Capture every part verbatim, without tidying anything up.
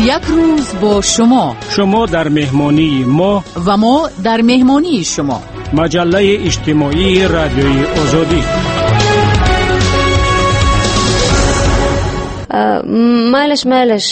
Як рӯз бо шумо. Шумо дар меҳмонии мо ва мо дар меҳмонии шумо. Маҷаллаи иҷтимоии Радиои Озодӣ. Майлаш, майлаш,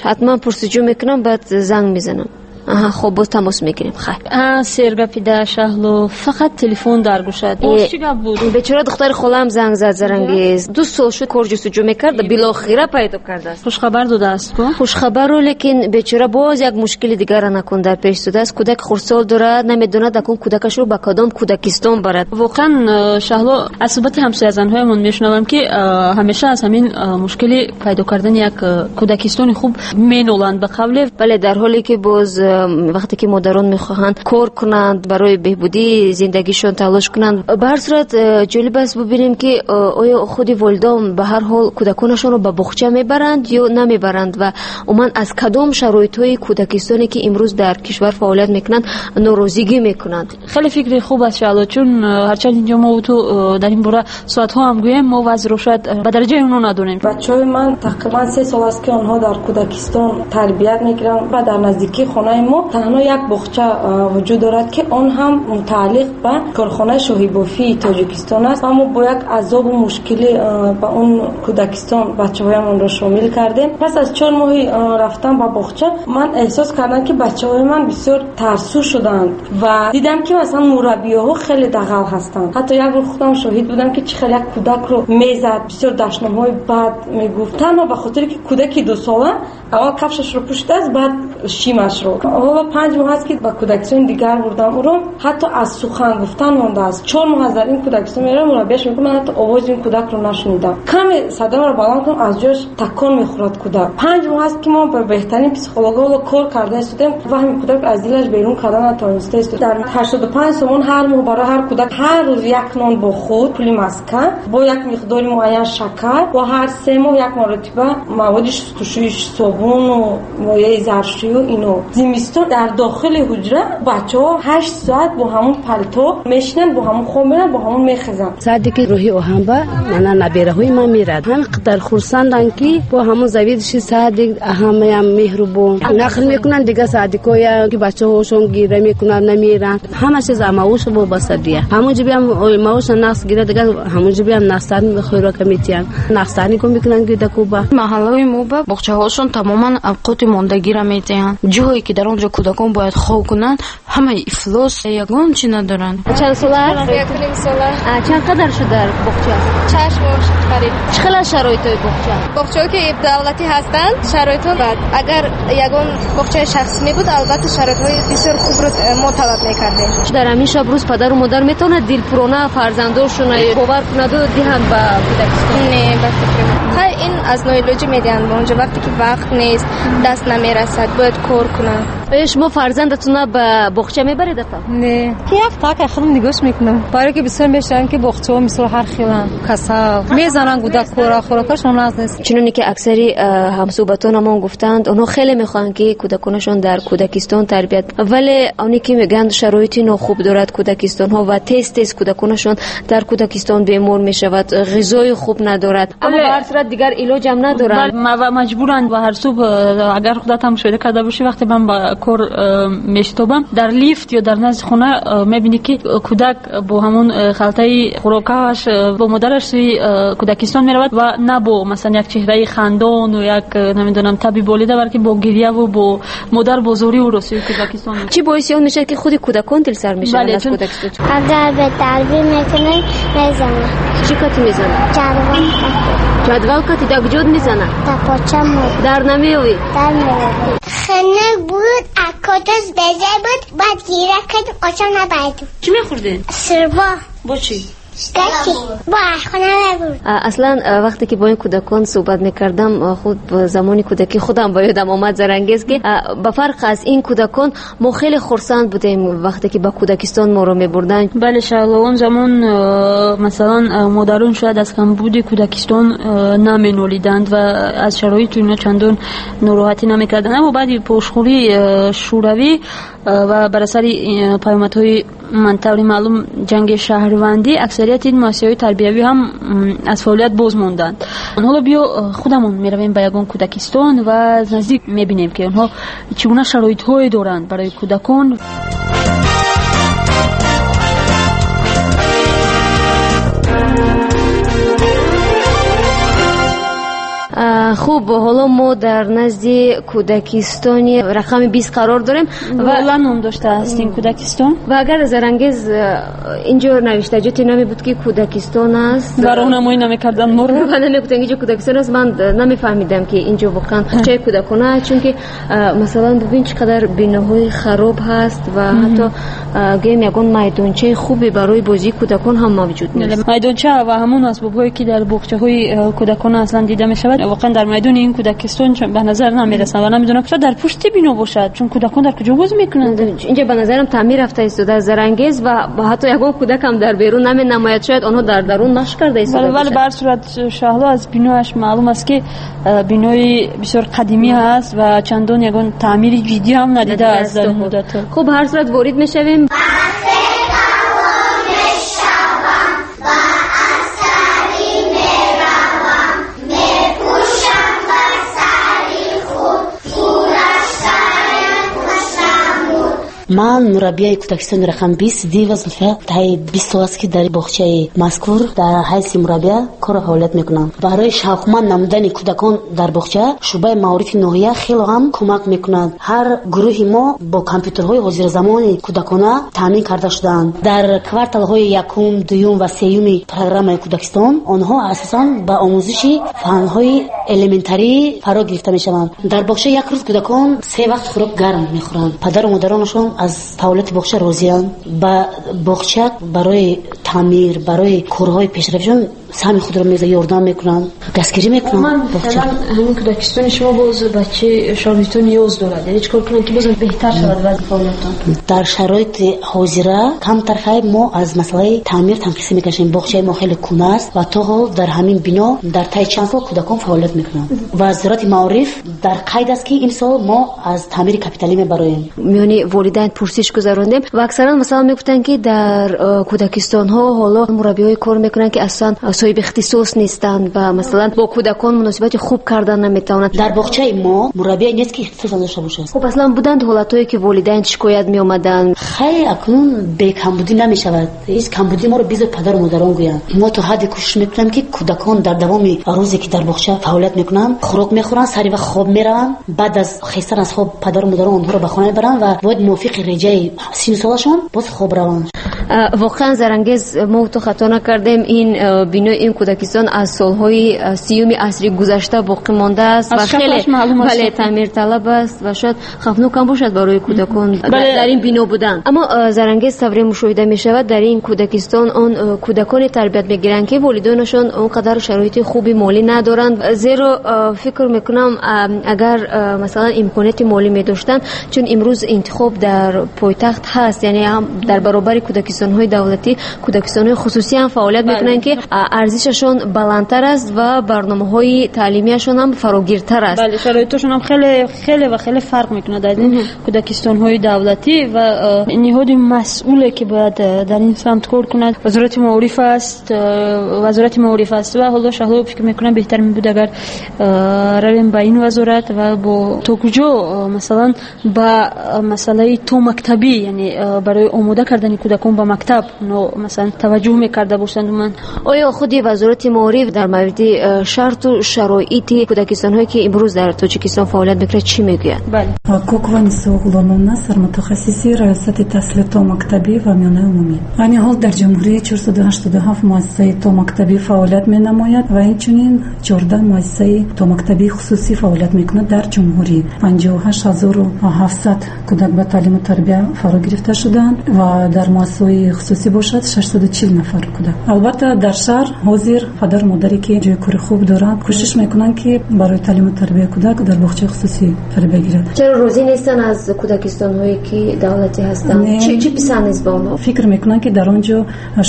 ҳатман пурсуҷӯ мекунам, баъд занг мезанам. Аҳа, хуб, боз тамос мегирем. Хайр. А, сергапида Шаҳло, фақат телефон дар гӯшат. Боз чӣ гап буд? Бечора духтари холаам занг зад, Зарангез. Ду сол шуд кор ҷустуҷӯ мекард, билохира пайдо кардааст. Хушхабар додааст ку? Хушхабару, лекин бечора боз як мушкили дигарро накун дар пеш истодааст. Кӯдаки хурдсол дорад, намедонад акун кӯдакашро ба кадом кӯдакистон барад. Воқеан, Шаҳло, аз суҳбати ҳамсоязанҳоямон мешунавам, ки ҳамеша аз ҳамин мушкили пайдо кардани як кӯдакистони хуб меноланд ба қавле. Бале, дар ҳоле ки боз вақте ки модарон мехоҳанд кор кунанд, барои беҳбудии зиндагишон талош кунанд. Ба ҳар сурат, ҷолиб аст бубинем, ки оё худи волидон ба ҳар ҳол кӯдаконашонро ба боғча мебаранд ё намебаранд ва умуман аз кадом шароитҳои кӯдакистоне, ки имрӯз дар кишвар фаъолият мекунанд, норозигӣ мекунанд. Хеле фикри хуб аст, Шаҳло, чун ҳарчанд инҷо мо ту дар ин бора соатҳо ҳам гӯем, мо вазъро шояд ба дараҷаи онҳо надонем. Бачаҳои ман тақрибан се сол аст, ки онҳо дар кӯдакистон тарбият мегиранд ва дар наздикии хонаи мо танҳо як боғча вуҷуд дорад, ки он ҳам мутааллиқ ба корхонаи шоҳибофии Тоҷикистон аст ва мо бо як азобу мушкилӣ ба он кӯдакистон бачаҳоямонро шомил кардем. Пас аз чор моҳи рафтан ба боғча ман эҳсос кардам, ки бачаҳои ман бисёр тарсу шуданд ва дидам, ки масалан мураббиёҳо хеле дағал ҳастанд. Ҳатто як бор худам шоҳид будам, ки чӣ хел як кӯдакро мезад, бисёр дашномҳои бад мегуфт, танҳо ба хотире ки кӯдаки дусола аввал кафшашро пӯшидааст, баъд шимашро. Ҳоло панҷ моҳ аст, ки ба кӯдакистони дигар бурдам ӯро, ҳатто аз сухан гуфтан мондааст. Чор моҳ аз дар ин кӯдакистон меравам, мураббияш мегӯяд, ман ҳатто овози ин кӯдакро нашунидам. Каме садоро баланд кунам, аз ҷояш такон мехӯрад кӯдак. Панҷ моҳ аст, ки мо ба беҳтарин психологҳо ҳоло кор карда истодем ва ҳамин кӯдак аз дилаш берун карда натавониста истод. Дар ҳаштоду панҷ сомон ҳар моҳ барои ҳар кӯдак ҳар рӯз як нон бо худ, пули маскан, бо як миқдори муайян шакар ва ҳар се моҳ як маротиба маводи шустушӯи собуну мояи заршӯю ино. Зимистон дар дохили ҳуҷра бачаҳо ҳашт соат бо ҳамон палто мешинанд, бо ҳамон хоб меранд, бо ҳамон мехезанд. Саде ки рӯҳи оҳанба мана набераҳои ман мерад. Ҳамин қадар хурсанданд, ки бо ҳамон завидиши садик ҳамаям меҳрубон. Нақл мекунанд дигар садикоя, ки бачаҳошон гира мекунанд, намеранд. Ҳама чиз маош вобастадия. Ҳамон ҷибиам маоша нақс гира, дигар ҳамон ҷибиам нақстар хӯрока метиҳанд. Нақстарни кун мекунанд гида куба. Маҳаллаҳои мо ба боғчаҳошон тамоман авқоти мондагиро метиҳанд. Ҷое ки дар он ҷо кӯдакон бояд хоб кунанд, ҳамаи ифлос, ягон чи надоранд. Чанд сола аст? Як ним сола. Чанд қадар шуд дар боғча? Шаш моҳ шуд қариб. Чӣ хел аст шароитҳои боғча? Боғчаҳое ки давлатӣ ҳастанд, шароитҳо бад. Агар ягон боғчаи шахсӣ мебуд, албатта шароитҳои бисёр хубро мо талаб мекардем. Дар ҳамин шаб рӯз падару модар метавонад дилпурона фарзандошонро бовар кунаду диҳанд ба кӯдакистон? Не, ба фикри ман. Хай, ин аз ноилоҷӣ медиҳанд ба онҷо, вақте ки вақт нест, даст намерасад, бояд кор кунанд. Оё шумо фарзандатонро ба боғча мебаред, апа? Не, як так худам нигоҳ мекунам. Барои ки бисёр мешаванд, ки боғчаҳо мисол ҳар хеланд, касал мезананд кӯдакҳоро, хӯрокашон нағз нест. Чуноне ки аксари ҳамсӯҳбатонамон гуфтанд, онҳо хеле мехоҳанд, ки кӯдаконашон дар кӯдакистон тарбият, вале оне ки мегӯянд шароити нохуб дорад кӯдакистонҳо ва тез тез кӯдаконашон дар кӯдакистон бемор мешавад, ғизои хуб надорад. Аммо ба ҳар сурат дигар илоҷам надоранд ва маҷбуранд. Ва ҳар субҳ, агар худат ҳам мушоҳида карда бошӣ, вақте ман ба кор мешитобам, дар лифт ё дар назди хона мебинӣ, ки кӯдак бо ҳамон халтаи хӯрокааш бо модараш сӯи кӯдакистон меравад ва на бо масалан як чеҳраи хандону як намедонам таби болида, балки бо гирьяву бо модар бо зорӣ ӯро сӯи кӯдакистон. Чӣ боиси он мешавад, ки худи кӯдакон дилсар мешаванд аз кӯдакистон? Агар бетарбия мекунӣ, мезанад. Чӣ кати мезанад? Ҷадвал кати. Ҷадвал кати дар куҷо мезанад? Дар поча мо. Дар намеоӣ? Дар меоӣ. Хунук буд, акоташ беза буд, баъд гира кардем, очам набардем. Чӣ мехӯрдед? Сирбо. Бо чӣ? Аслан вақте ки бо ин кӯдакон суҳбат мекардам, худ замони кӯдакӣ худам ба ёдам омад, Зарангез, ки ба фарқ аз ин кӯдакон мо хеле хурсанд будем, вақте ки ба кӯдакистон моро мебурданд. Бале, Шаҳло, он замон масалан модарон шояд аз камбуди кӯдакистон наменолиданд ва аз шароиту ино чандон нороҳатӣ намекарданд. Аммо баъди пошхӯрии Шӯравӣ ва бар асари паёмадҳои ман таври маълум ҷанги шаҳрвандӣ аксарияти ин муассисаҳои тарбиявӣ ҳам аз фаъолият боз монданд. Ҳоло биё худамон меравем ба ягон кӯдакистон ва аз наздик мебинем, ки онҳо чӣ гуна шароитҳое доранд барои кӯдакон. Хуб, ҳоло мо дар назди кӯдакистони рақами бист қарор дорем. Ва ном доштааст ин кӯдакистон. Ва агар Зарангез инҷо навиштаҷоте намебуд, ки кӯдакистон аст, ва роҳнамоӣ намекарданд моро ва намегуфтанд инҷо кӯдакистон аст, ман намефаҳмидам, ки инҷо воқеан боғчаи кӯдакона аст, чунки масалан бубин чӣ қадар биноҳои хароб ҳаст ва ҳатто гӯем ягон майдончаи хубе барои бозии кӯдакон ҳам мавҷуд нест. Майдонча ва ҳамон асбобҳое, ки дар боғчаҳои кӯдакона аслан дида мешавад, воқеан дар майдони ин кӯдакистон ба назар намерасанд ва намедонам шояд дар пушти бино бошад, чун кӯдакон дар куҷо бозӣ мекунанд. Инҷо ба назарам таъмир рафта истодааст Зарангез ва ҳатто ягон кӯдак ҳам дар берун наменамояд, шояд онҳо дар дарун машқ карда истода бошанд. Вале ба ҳар сурат Шаҳло, аз биноаш маълум аст, ки бинои бисёр қадимӣ ҳаст ва чандон ягон таъмири ҷиддӣ ҳам надидааст дар ин муддат. Хуб, ҳар сурат ворид мешавем. Ман мураббияи кӯдакистони рақам бист Дива Зулфия таи бист сол аст, ки дар боғчаи мазкур дар ҳайси мураббия кору фаъолият мекунам. Барои шавқманд намудани кӯдакон дар боғча шӯъбаи маорифи ноҳия хело ҳам кӯмак мекунад. Ҳар гурӯҳи мо бо компютерҳои ҳозиразамони кӯдакона таъмин карда шудаанд. Дар кварталҳои якум, дуюм ва сеюми программаи кӯдакистон онҳо асосан ба омӯзиши фанҳои элементарӣ фаро гирифта мешаванд. Дар боғча як рӯз кӯдакон се вақт хӯрок гарм мехӯранд. Падару модаронашон аз фаъолияти боғча розианд. Ба боғча барои таъмир, барои корҳои пешрафтшон саҳми худро мегузоранд, ёрдам мекунанд, дастгирӣ мекунанд. Масалан, ҳамин кӯдакистони шумо боз ба чӣ шароитҳо ниёз дорад? Яъне чӣ кор кунанд, ки боз беҳтар шавад вазъи фаъолиятон? Дар шароити ҳозира камтар хайр мо аз масъалаи таъмир танқисӣ мекашем. Боғчаи мо хеле кӯҳна аст ва то ҳол дар ҳамин бино дар тайи чанд сол кӯдакон фаъолият мекунанд. Вазорати маориф дар қайд аст, ки имсол мо аз таъмири капиталӣ мебароем. Миёни волидайн пурсиш гузарондем ва аксаран масалан мегуфтанд, ки дар кӯдакистонҳо ҳоло мураббиҳое кор мекунанд, ки аслан соҳиби ихтисос нестанд ва масалан бо кӯдакон муносибати хуб кардан наметавонанд. Дар боғчаи мо мураббие нест, ки ихтисос надошта бошад. Хуб, аслан буданд ҳолатҳое, ки волидайн шикоят меомаданд? Хай, акнун бекамбудӣ намешавад. Ҳеҷ камбудӣ моро бизор падару модарон гӯянд. Мо то ҳадде кӯшиш мекунем, ки кӯдакон дар давоми рӯзе, ки дар боғча фаъолият мекунанд, хӯрок мехӯранд, сари вақт хоб мераванд. Баъд аз хестан аз хоб падару модарон онҳоро ба хона мебаранд ва бояд мувофиқи реҷаи синну солашон боз хоб раванд. Воқеан Зарангез, мо то хато накардем, ин бинои ин кӯдакистон аз солҳои сиюми асри гузашта боқӣ мондааст ва хеле бале таъмирталаб аст ва шояд хавфнок ҳам бошад барои кӯдакон дар ин бино будан. Аммо Зарангез, тавре мушоҳида мешавад, дар ин кӯдакистон он кӯдаконе тарбият мегиранд, ки волидонашон он қадар шароити хуби молӣ надоранд, зеро фикр мекунам агар масалан имконияти молӣ медоштанд, чун имрӯз интихоб дар пойтахт ҳаст, яъне ҳам дар баробари кӯдакистонҳои давлатӣ кӯдакистонҳои хусусӣ ҳам фаъолият мекунанд, ки арзишашон баландтар аст ва барномаҳои таълимияшон ҳам фарогиртар аст. Бале, шароиташон ҳам хеле хеле ва хеле фарқ мекунад аз ин кӯдакистонҳои давлатӣ ва ниҳоди масъуле, ки бояд дар ин самт кор кунад, вазорати маориф аст, вазорати маориф аст ва ҳоло Шаҳло фикр мекунам беҳтар мебуд агар равем ба ин вазорат ва бо то куҷо масалан ба масъалаи томактабӣ, яъне барои омода кардани кӯдакон ба мактаб масалан таваҷҷӯҳ мекарда бошанд. Ман оё худи вазорати маориф дар мавриди шарту шароити кӯдакистонҳое, ки имрӯз дар Тоҷикистон фаъолият мекунад, чӣ мегӯяд? Бале, Кокова Нисо Ғуломовна, сармутахассиси раёсати таҳсили томактабӣ ва миёнаи умумӣ. Айни ҳол дар ҷумҳурӣ чорсаду ҳаштоду ҳафт муассисаи томактабӣ фаъолият менамояд ва инчунин чордаҳ муассисаи томактабии хусусӣ фаъолият мекунад дар ҷумҳурӣ. панҷоҳу ҳашт ҳазору ҳафтсад кӯдак ба таълиму тарбия фаро гирифта шудаанд ва дар муассисаҳои боғчаҳои хусусӣ бошад шашсаду чил нафар кӯдак. Албатта, дар шаҳр ҳозир падару модаре ки ҷои кори хуб доранд, кӯшиш мекунанд, ки барои таълиму тарбияи кӯдак дар боғчаи хусусӣ тарбия гирад. Чаро розӣ нестанд аз кӯдакистонҳое ки давлатӣ ҳастанд? Чӣ писанд нест ба онҳо? Фикр мекунанд, ки дар он ҷо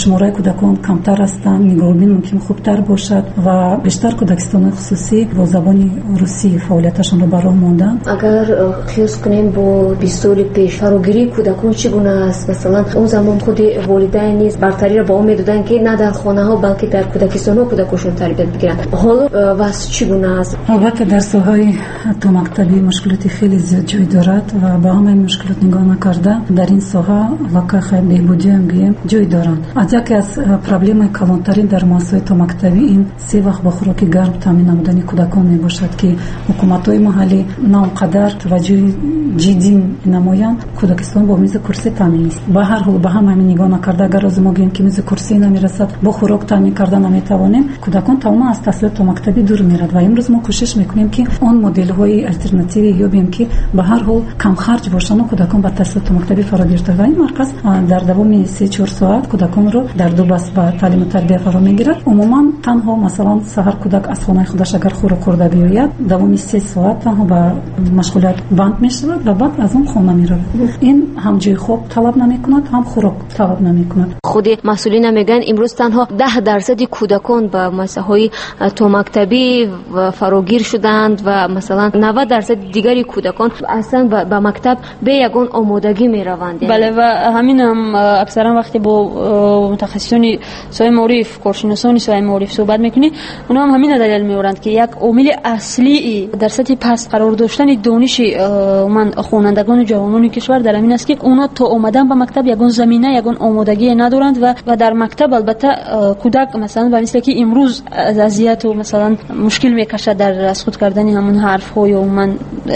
шумораи кӯдакон камтар ҳастанд, нигаҳбон мумкин хубтар бошад ва бештар кӯдакистонҳои хусусӣ бо забони русӣ фаъолияташонро ба роҳ монданд. Агар қиёс кунем бо бист соли пеш, фарогирии кӯдакон чӣ гуна аст? Масалан, он замон худи волидайн низ бартариро ба он медоданд, ки на дар хонаҳо, балки дар кӯдакистонҳо кӯдакошон тарбият бигиранд. Ҳоло вазъ чӣ гуна аст? Албатта, дар соҳаи томактабӣ мушкилоти хеле зиёд ҷой дорад ва ба ҳамаи мушкилот нигоҳ накарда, дар ин соҳа лакахай беҳбудиам гӯем ҷой доранд. Аз яке аз проблемаи калонтарин дар муассисаҳои томактабӣ ин се вақт бо хӯроки гарм таъмин намудани кӯдакон мебошад, ки ҳукуматҳои маҳаллӣ на он қадар таваҷҷӯҳи ҷиддӣ намоянд. Кӯдакистон бо мизи курсӣ таъмин нест. Ба ҳар ҳол, ба ҳама ҳамин нигоҳ накарда, агар рӯзе мо гӯем, ки мизи курсӣ намерасад, бо хӯрок таъмин карда наметавонем, кӯдакон тамоман аз таҳсилоти томактабӣ дур мерад. Ва имрӯз мо кӯшиш мекунем, ки он моделҳои алтернативӣ ёбем, ки ба ҳар ҳол камхарҷ бошанд ва кӯдакон ба таҳсилоти томактабӣ фаро гирифта. Ва ин марказ дар давоми се-чор соат кӯдаконро дар ду баст ба таълиму тарбия фаро мегирад. Умуман танҳо масалан саҳар кӯдак аз хонаи худаш агар хӯрок хӯрда биёяд, давоми се соат танҳо ба машғулият банд мешавад ва баъд аз он хона меравад. Ин ҳам ҷои хоб талаб намекунад, ҳам хӯрок талаб намекунад. Худи масъулина мегӯянд, имрӯз танҳо даҳ дарсади кӯдакон ба муассисаҳои томактабӣ фарогир шуданд ва масалан навад дарсади дигари кӯдакон аслан ба мактаб бе ягон омодагӣ мераванд. Бале, ва ҳамин ҳам аксаран вақте бо мутахассисони соҳаи маориф, коршиносони соҳаи маориф суҳбат мекунӣ, онҳо ҳам ҳамин далел меоранд, ки як омили аслии дар сатҳи паст қарор доштани дониши умуман хонандагону ҷавонони кишвар дар ҳамин аст, ки онҳо то омадан ба мактаб ягон замина, ягон омодагие надоранд ва ва дар мактаб албатта кӯдак масалан ба мисле ки имрӯз аз азияту масалан мушкил мекашад дар аз худ кардани ҳамон ҳарфҳо ё умуман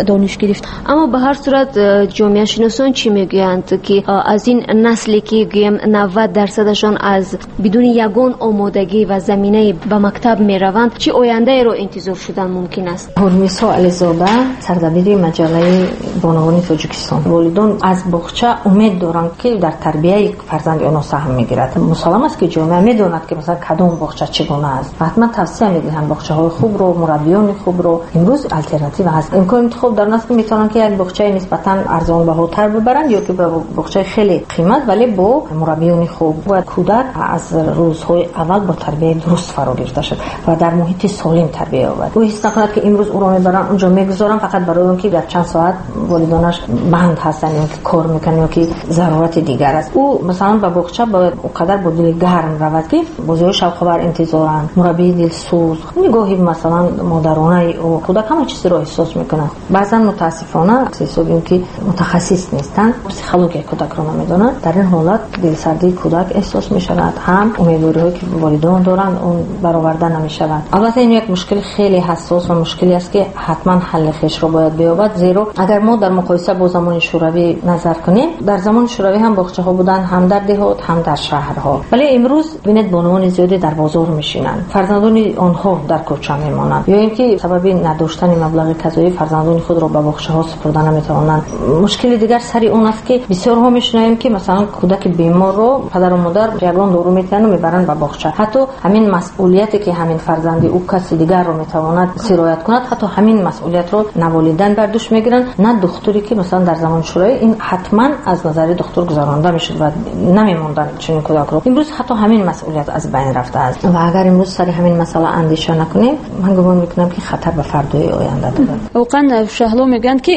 дониш гирифт. Аммо ба ҳар сурат ҷомеашиносон чӣ мегӯянд, ки аз ин насле ки гӯем навад дарсадашон аз бидуни ягон омодагӣ ва заминае ба мактаб мераванд, чӣ ояндаеро интизор шудан мумкин аст? Ҳурмисо Ализода, сардабири маҷаллаи бонувони Тоҷикистон. Волидон аз боғча умед доранд, ки дар тарбияи фарзанди онҳо саҳм мегирад. Мусаллам аст, ки ҷомеа медонад, ки масалан кадом боғча чӣ гуна аст ва ҳатман тавсия медиҳанд боғчаҳои хубро, мураббиёни хубро. Имрӯз алтернатива ҳаст. Имкони интихоб дар он аст, ки метавонанд ки як боғчаи нисбатан арзонбаҳотар бибаранд ё ки ба боғчаи хеле қимат, вале бо мураббиёни хуб. Бояд кӯдак аз рӯзҳои аввал бо тарбияи дуруст фаро гирифта шавад ва дар муҳити солим тарбия ёбад. Ӯ ҳис накунад, ки имрӯз ӯро мебаранд, онҷо мегузоранд фақат барои он ки дар чанд соат волидонаш банд ҳастанд ё ки кор мекунанд ё ки зарурати дигар аст. Ӯ масалан ба боғча бояд он қадар бо дили гарм равад, ки бозиҳои шавқовар интизоранд, мураббии дилсӯз, нигоҳи масалан модаронаи ӯ. Кӯдак ҳама чизро эҳсос мекунад. Баъзан мутаассифона аз ҳисоби он ки мутахассис нестанд, психологияи кӯдакро намедонанд, дар ин ҳолат дилсардии кӯдак эҳсос мешавад, ҳам умедвориҳое ки волидон доранд он бароварда намешавад. Албатта ин як мушкили хеле ҳассос ва мушкиле аст, ки ҳатман ҳалли хешро бояд биёбад, зеро агар мо дар муқоиса бо замони шӯравӣ назар кунем, дар замони шӯравӣ ҳам боғчаҳо буданд, ҳам дар деҳот, ҳам дар шаҳрҳо. Вале имрӯз бинед, бонувони зиёде дар бозор мешинанд, фарзандони онҳо дар кӯча мемонанд ё ин ки сабаби надоштани маблағи казоӣ фарзандони худро ба боғчаҳо супурда наметавонанд. Мушкили дигар сари он аст, ки бисёрҳо мешунавем, ки масалан кӯдаки беморро падару модар ягон дору метиҳанд ва мебаранд ба боғча. Ҳатто ҳамин масъулияте ки ҳамин фарзанди ӯ каси дигарро метавонад сироят кунад, ҳатто ҳамин масъулиятро на волидайн бар дӯш мегиранд, на духтуре, ки масалан дар замони шӯравӣ ин ҳатман аз назари духтур гузаронда мешуд ва намемонданд чунин кӯдакро. Имрӯз ҳатто ҳамин масъулият аз байн рафтааст ва агар имрӯз сари ҳамин масъала андеша накунем, ман гумон мекунам, ки хатар ба фардои оянда дорад. Воқеан Шаҳло мегӯянд, ки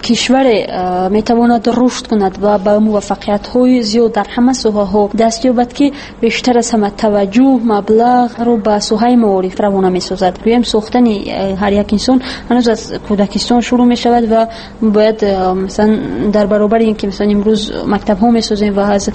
кишваре метавонад рушд кунад ва ба муваффақиятҳои зиёд дар ҳама соҳаҳо даст ёбад, ки бештар аз ҳама таваҷҷӯҳ, маблағро ба соҳаи маориф равона месозад. Гӯем, сохтани ҳар як инсон ҳанӯз аз кӯдакистон шурӯъ мешавад ва бояд масалан дар баробари ин ки масалан имрӯз мактабҳо месозем ва аз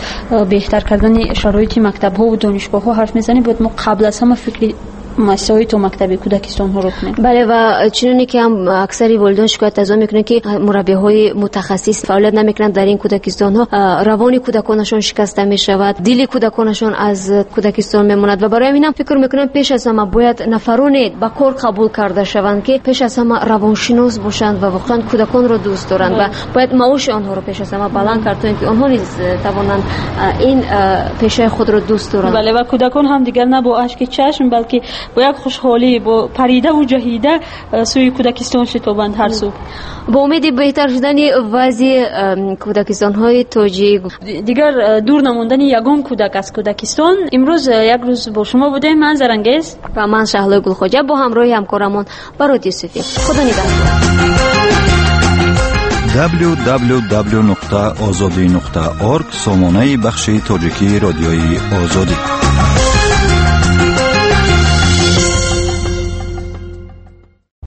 беҳтар кардани шароити мактабҳо ва донишгоҳҳо ҳарф мезанем, бояд мо қабл аз ҳама фикри муассисаҳои томактабӣ кӯдакистонҳоро кунем. Бале, ва чуноне ки ҳам аксари волидон шикоят аз он мекунанд, ки мураббиҳои мутахассис фаъолият намекунанд дар ин кӯдакистонҳо, равони кӯдаконашон шикаста мешавад, дили кӯдаконашон аз кӯдакистон мемонад ва барои ҳамин ҳам фикр мекунам пеш аз ҳама бояд нафароне ба кор қабул карда шаванд, ки пеш аз ҳама равоншинос бошанд ва воқеан кӯдаконро дӯст доранд ва бояд маоши онҳоро пеш аз ҳама баланд кард, то инки онҳо низ тавонанд ин пешаи худро дӯст доранд. Бале, ва кӯдакон ҳам дигар на бо ашки чашм, балки бо як хушҳолӣ, бо паридаву ҷаҳида сӯи кӯдакистон шитобанд ҳар субҳ. Бо умеди беҳтар шудани вазъи кӯдакистонҳои тоҷик, дигар дур намондани ягон кӯдак аз кӯдакистон. Имрӯз як рӯз бо шумо будем, ман Зарангез ва ман Шаҳлои Гулхоҷа бо ҳамроҳи ҳамкорамон Барот Юсуфӣ. Худо нигаҳдор. дабл-ю дабл-ю дабл-ю нуқта озодӣ нуқта орг сомонаи бахши тоҷикии Радиои Озодӣ.